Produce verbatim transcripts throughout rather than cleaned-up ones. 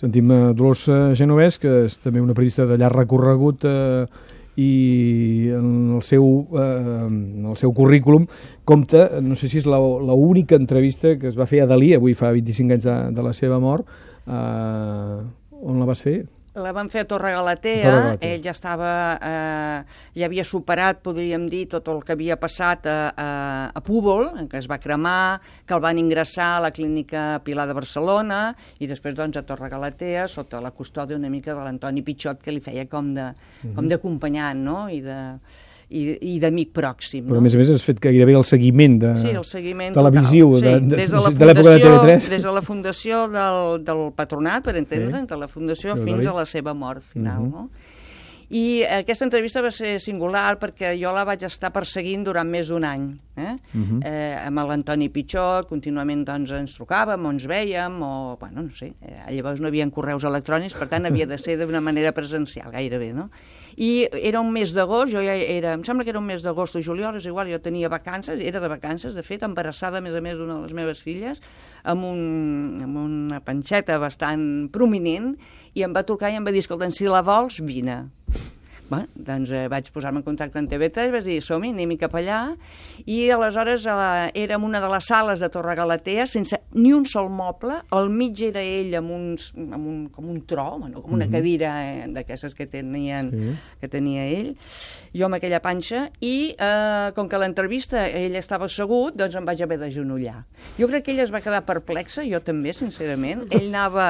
Sentim a Dolors Genovès, que és també una periodista de llarg recorregut eh, i en el seu, eh, en el seu currículum compta, no sé si és l'única entrevista que es va fer a Dalí, avui fa vint-i-cinc anys de, de la seva mort. Eh, on la vas fer? La van fer a Torre Galatea, ell ja estava, eh, ja havia superat, podríem dir, tot el que havia passat a, a, a Púbol, que es va cremar, que el van ingressar a la clínica Pilar de Barcelona, i després doncs a Torre Galatea, sota la custòdia una mica de l'Antoni Pichot, que li feia com de, uh-huh. com d'acompanyant, no?, i de... i, i d'amic pròxim. Però no? a més a més has fet gairebé el seguiment de sí, el seguiment televisiu sí, de, de, des de, la de l'època de T V tres. Des de la fundació del, del patronat, per entendre'n, sí. de la fundació de fins a la seva mort final. Uh-huh. no? I aquesta entrevista va ser singular perquè jo la vaig estar perseguint durant més d'un any. Eh? Uh-huh. eh, amb l'Antoni Pichot, contínuament doncs, ens trucàvem o ens vèiem, o, bueno, no sé, eh, llavors no hi havia correus electrònics, per tant havia de ser d'una manera presencial, gairebé, no? I era un mes d'agost, jo ja era, em sembla que era un mes d'agost o juliol, és igual, jo tenia vacances, era de vacances, de fet, embarassada, a més a més, d'una de les meves filles, amb, un, amb una panxeta bastant prominent, i em va trucar i em va dir, escolta, si la vols, vine. Bé, doncs eh, vaig posar-me en contacte amb T V tres, vaig dir, som-hi, anem-hi cap allà, i aleshores eh, era en una de les sales de Torre Galatea, sense ni un sol moble, al mig era ell amb, uns, amb un, com un tro, bueno, com una cadira eh, d'aquestes que, tenien, sí. que tenia ell, jo amb aquella panxa, i eh, com que l'entrevista ell estava assegut, doncs em vaig haver d'agenollar. Jo crec que ell es va quedar perplexa, jo també, sincerament, ell anava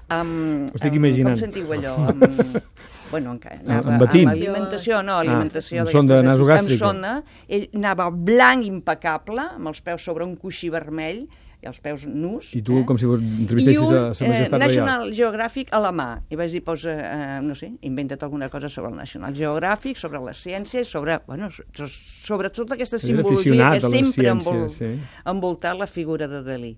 amb... Ho estic imaginant. Com sentiu allò? Amb... Bueno, anava amb, amb alimentació, no, alimentació ah, amb sonda nasogàstrica. Amb sonda, ell anava blanc impecable, amb els peus sobre un coixí vermell, i els peus nus. I tu, eh? com si I entrevistessis un, a Sa Majestat eh, National Reial. Geographic a la mà. I vaig dir, posa, eh, no sé, inventa't alguna cosa sobre el National Geographic, sobre les ciències, sobre, bueno, sobre tota aquesta simbologia que sempre envol, sí. envoltat la figura de Dalí.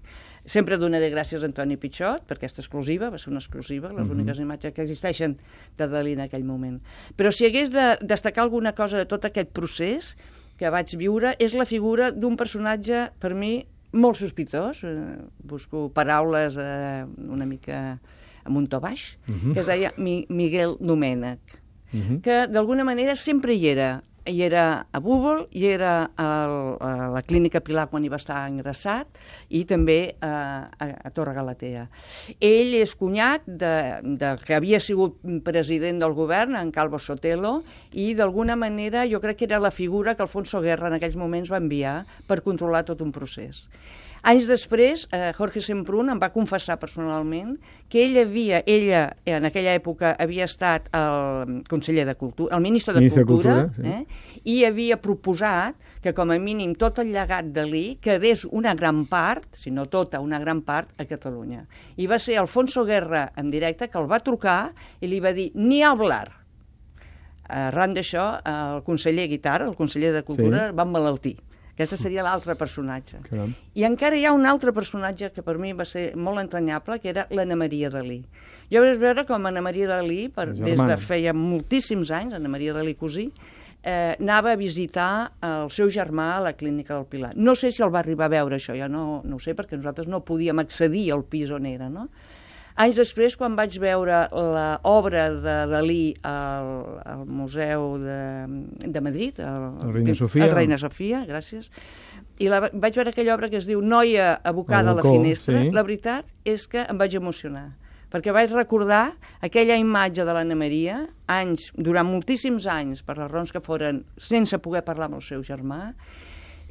Sempre donaré gràcies a Antoni Pichot per aquesta exclusiva, va ser una exclusiva, les uh-huh. úniques imatges que existeixen de Dalí en aquell moment. Però si hagués de destacar alguna cosa de tot aquest procés que vaig viure, és la figura d'un personatge, per mi, molt sospitós, eh, busco paraules eh, una mica amb un to baix, uh-huh. que es deia Mi Miguel Domènech, uh-huh. que d'alguna manera sempre hi era. Hi era a Búbol, hi era al, a la clínica Pilar quan hi va estar ingressat, i també a, a, a Torre Galatea. Ell és cunyat de, de que havia sigut president del govern, en Calvo Sotelo, i d'alguna manera jo crec que era la figura que Alfonso Guerra en aquells moments va enviar per controlar tot un procés. Anys després, eh, Jorge Semprún em va confessar personalment que ell havia, ella en aquella època havia estat el conseller de Cultura, el ministre de ministre Cultura, de Cultura sí. eh, i havia proposat que com a mínim tot el llegat de Dalí quedés una gran part, si no tota, una gran part a Catalunya. I va ser Alfonso Guerra en directe que el va trucar i li va dir ni hablar. Arran d'això, el conseller Guitar, el conseller de Cultura, sí. va emmalaltir. Aquesta seria l'altre personatge. Caram. I encara hi ha un altre personatge que per mi va ser molt entranyable, que era l'Anna Maria Dalí. Jo vaig veure com Anna Maria Dalí, per, des de feia moltíssims anys, Anna Maria Dalí cosí, eh, anava a visitar el seu germà a la clínica del Pilar. No sé si el va arribar a veure, això, jo no, no ho sé, perquè nosaltres no podíem accedir al pis on era, no? Anys després, quan vaig veure l'obra de Dalí al, al Museu de, de Madrid, el, el Reina Sofia, el Reina Sofia, gràcies, i la, vaig veure aquella obra que es diu Noia abocada a la finestra, sí. La veritat és que em vaig emocionar, perquè vaig recordar aquella imatge de l'Anna Maria, anys, durant moltíssims anys, per les raons que foren, sense poder parlar amb el seu germà,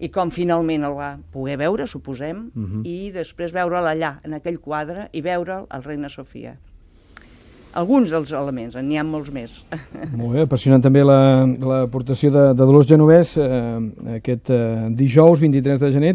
i com finalment el va poder veure, suposem, uh-huh. i després veure'l allà, en aquell quadre, i veure'l al Reina Sofia. Alguns dels elements, n'hi ha molts més. Molt bé, apassionant també l'aportació de, de Dolors Genovès eh, aquest eh, dijous vint-i-tres de gener.